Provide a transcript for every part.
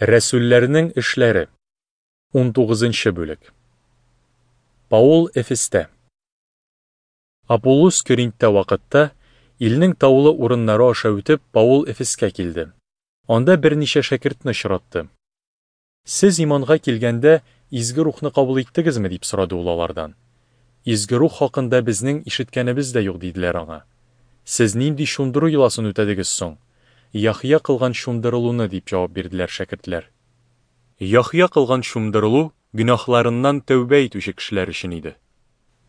Рәсүлләрнең эшләре. Унтугызынчы бүлек. Паул Эфестә. Аполлос Көринттә вакытта, илнең таулы урыннары аша үтеп, Паул Эфескә килде. Анда берничә шәкертне очратты. Сез иманга килгәндә, Изге Рухны кабул иттегезме? дип сорады ул алардан. Изге Рух хакында безнең ишеткәнебез дә юк, диделәр аңа. Сез нинди чумдыру йоласын үтәдегез соң? Яхъя кылган чумдырылуны, дип җавап бирделәр шәкертләр. Яхъя кылган чумдырылу гөнаһларыннан тәүбә итүче кешеләр өчен иде.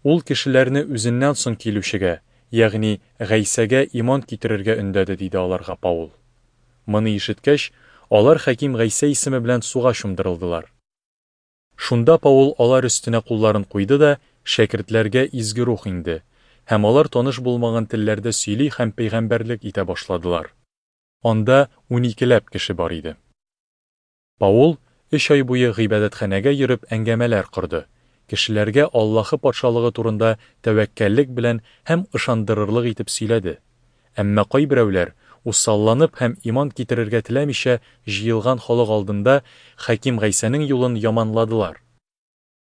Ул кешеләрне үзеннән соң килүчегә, ягъни Гайсәгә иман китерергә өндәде, диде аларга Паул. Моны ишеткәч, алар Хәким Гайсә исеме белән суга чумдырылдылар. Шунда Паул алар өстенә кулларын куйды да, шәкертләргә Изге Рух иңде, һәм алар таныш булмаган телләрдә сөйли һәм пәйгамбәрлек итә башладылар. Анда уникеләп кеше бар иде. Паул өч ай буе гыйбадәтханәгә йөреп әңгәмәләр корды, кешеләргә Аллаһы Патшалыгы турында тәвәккәллек белән һәм ышандырырлык итеп сөйләде. Әмма кайберәүләр, усалланып һәм иман китерергә теләмичә, җыелган халык алдында Хәким Гайсәнең юлын яманладылар.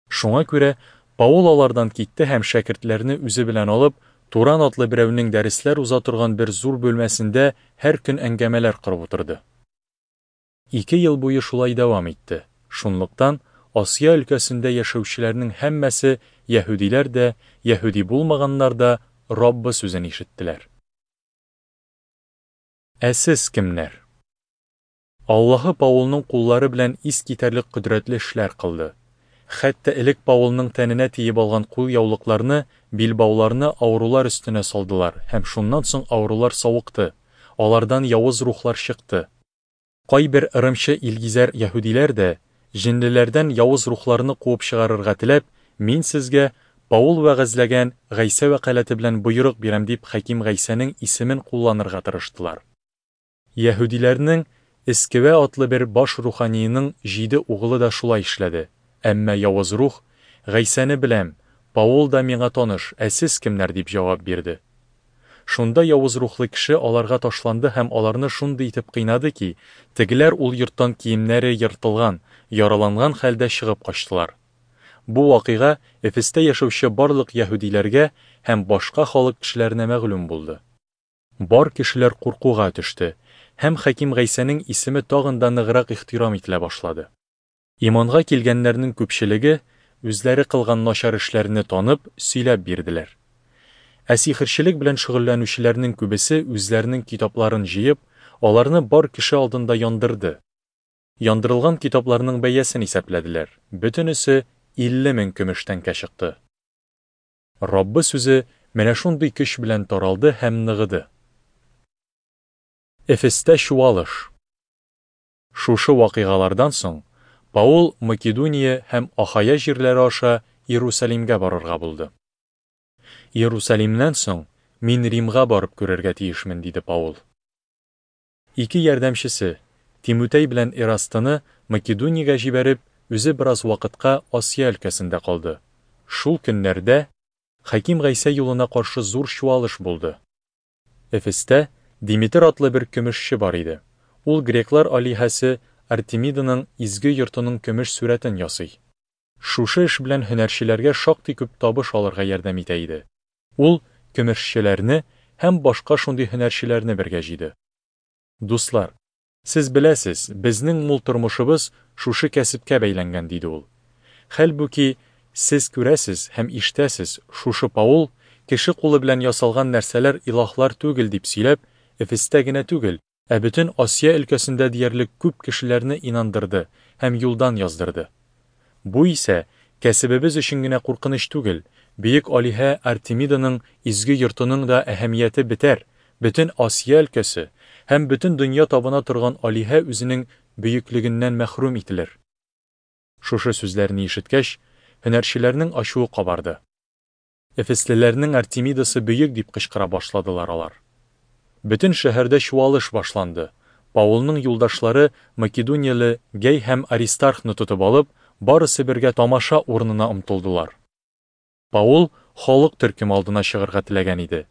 Шуңа күрә Паул алардан китте һәм шәкертләрне үзе белән алып, Туран атлы берәүнең дәресләр уза торган бер зур бүлмәсендә һәр көн әңгәмәләр корып утырды. Ике ел буе шулай дәвам итте. Шунлыктан Асия өлкәсендә яшәүчеләрнең һәммәсе, яһүдиләр дә, яһүди булмаганнар да, Раббы сүзен ишеттеләр. Ә сез кемнәр? Аллаһы Паулның куллары белән искитәрлек кодрәтле эшләр кылды. Хәтта элек Паулның тәненә тиеп алган кулъяулыкларны, билбауларны авырулар өстенә салдылар, һәм шуннан соң авырулар савыкты, алардан явыз рухлар чыкты. Кайбер ырымчы илгизәр яһүдиләр дә, җенлеләрдән явыз рухларны куып чыгарырга теләп, Мин сезгә Паул вәгазьләгән Гайсә вәкаләте белән боерык бирәм, дип Хәким Гайсәнең исемен кулланырга тырыштылар. Яһүдиләрнең Эскевә атлы бер баш руханиеның җиде угылы да шулай эшләде. Әмма явыз рух, Гайсәне беләм, Паул да миңа таныш, ә сез кемнәр? дип җавап бирде. Шунда явыз рухлы кеше аларга ташланды һәм аларны шундый итеп кыйнады ки, тегеләр ул йорттан киемнәре ертылган, яраланган хәлдә чыгып качтылар. Бу вакыйга Эфестә яшәүче барлык яһүдиләргә һәм башка халык кешеләренә мәгълүм булды. Бар кешеләр куркуга төште, һәм Хәким Гайсәнең исеме тагын да ныграк ихтирам ителә башлады. Иманга килгәннәрнең күпчелеге, үзләре кылган начар эшләрне танып, сөйләп бирделәр. Ә сихерчелек белән шөгыльләнүчеләрнең күбесе үзләренең китапларын җыеп, аларны бар кеше алдында яндырды. Яндырылган китапларның бәясен исәпләделәр, бөтенесе 50 мең көмеш тәңкә чыкты. Раббы сүзе менә шундый көч белән таралды һәм ныгыды. Эфестә чуалыш. Шушы вакыйгалардан соң Паул Македония һәм Ахая җирләре аша Иерусалимгә барырга булды. Иерусалимнән соң мин Римга барып күрергә тиешмен, диде Паул. Ике ярдәмчесе, Тимутәй белән Эрастыны Македониягә җибәреп, үзе бераз вакытка Асия өлкәсендә калды. Шул көннәрдә Хәким Гайсә юлына каршы зур чуалыш булды. Эфестә Димитр атлы бер көмешче бар иде. Ул греклар алиһәсе Артемиданың изге йортының көмеш сурәтен ясый. Шушы эш белән һөнәрчеләргә шактый күп табыш алырга ярдәм итә иде. Ул көмешчеләрне һәм башка шундый һөнәрчеләрне бергә җыйды. Дуслар, сез беләсез, безнең мул тормышыбыз шушы кәсепкә бәйләнгән, диде ул. Хәлбуки, сез күрәсез һәм ишетәсез, шушы Паул, кеше кулы белән ясалган нәрсәләр илаһлар түгел, дип сөйләп, Эфестә генә түгел, ә бөтен Асия өлкәсендә диярлек күп кешеләрне инандырды һәм юлдан яздырды. Бу исә кәсебебез өчен генә куркыныч түгел, бөек алиһә Артемиданың изге йортының да әһәмияте бетәр, бөтен Асия өлкәсе һәм бөтен дөнья табына торган алиһә үзенең бөеклегеннән мәхрүм ителер. Шушы сүзләрне ишеткәч, һөнәрчеләрнең ачуы кабарды. Эфеслеләрнең Артемидасы бөек! дип кычкыра башладылар алар. Бөтен шәһәрдә чуалыш башланды. Паулның юлдашлары македонияле Гәй һәм Аристархны тотып алып, барысы бергә тамаша урынына омтылдылар. Паул халык төркеме алдына чыгарга теләгән иде,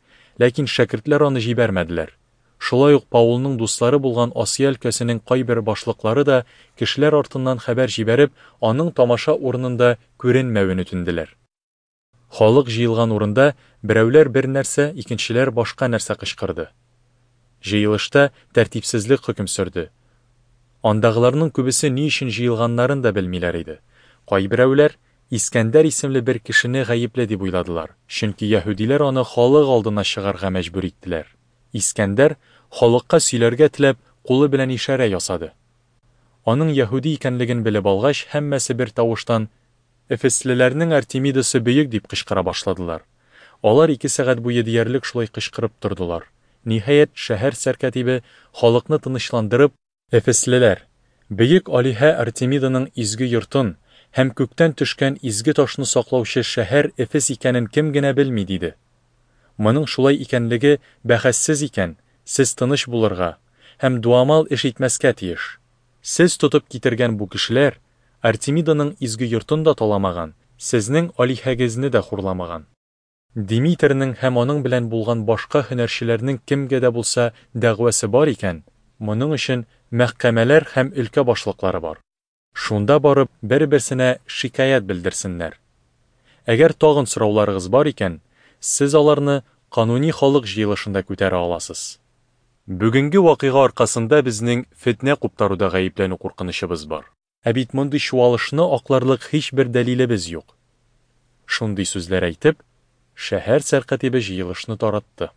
ләкин шәкертләр аны җибәрмәделәр. Шулай ук Паулның дуслары булган Асия өлкәсенең кайбер башлыклары да кешеләр артыннан хәбәр җибәреп, аның тамаша урынында күренмәвен үтенделәр. Халык җыелган урында берәүләр бер нәрсә, икенчеләр башка нәрсә кычкырды. Җыелышта тәртипсезлек хөкем сөрде. Андагыларның күбесе ни өчен җыелганнарын да белмиләр иде. Кайберәүләр Искәндәр исемле бер кешене гаепле дип уйладылар, чөнки яһүдиләр аны халык алдына чыгарга мәҗбүр иттеләр. Искәндәр, халыкка сөйләргә теләп, кулы белән ишарә ясады. Аның яһүди икәнлеген белеп алгач, һәммәсе бер тавыштан, Эфеслеләрнең Артемидасы бөек! дип кычкыра башладылар. Алар ике сәгать буе диярлек шулай кычкырып тордылар. Ниһаять, шәһәр сәркатибе, халыкны тынычландырып, Эфеслеләр, бөек алиһә Артемиданың изге йортын һәм күктән төшкән изге ташны саклаучы шәһәр Эфес икәнен кем генә белми, диде. Моның шулай икәнлеге бәхәссез икән, сез тыныч булырга һәм дуамал эш итмәскә тиеш. Сез тотып китергән бу кешеләр Артемиданың изге йортын да таламаган, сезнең алиһәгезне дә хурламаган. Димитрның һәм аның белән булган башка һөнәрчеләрнең кемгә дә булса дәгъвасы бар икән, моның өчен мәхкәмәләр һәм өлкә башлыклары бар. Шунда барып, бер-берсенә шикаять белдерсеннәр. Әгәр тагын сорауларыгыз бар икән, сез аларны кануни халык җыелышында күтәрә аласыз. Бүгенге вакыйга аркасында безнең фетнә куптаруда гаепләнү куркынычыбыз бар. Ә бит мондый чуалышны акларлык һичбер дәлилебез юк. Шундый сүзләр әйтеп, шәһәр сәркатибе җыелышны таратты.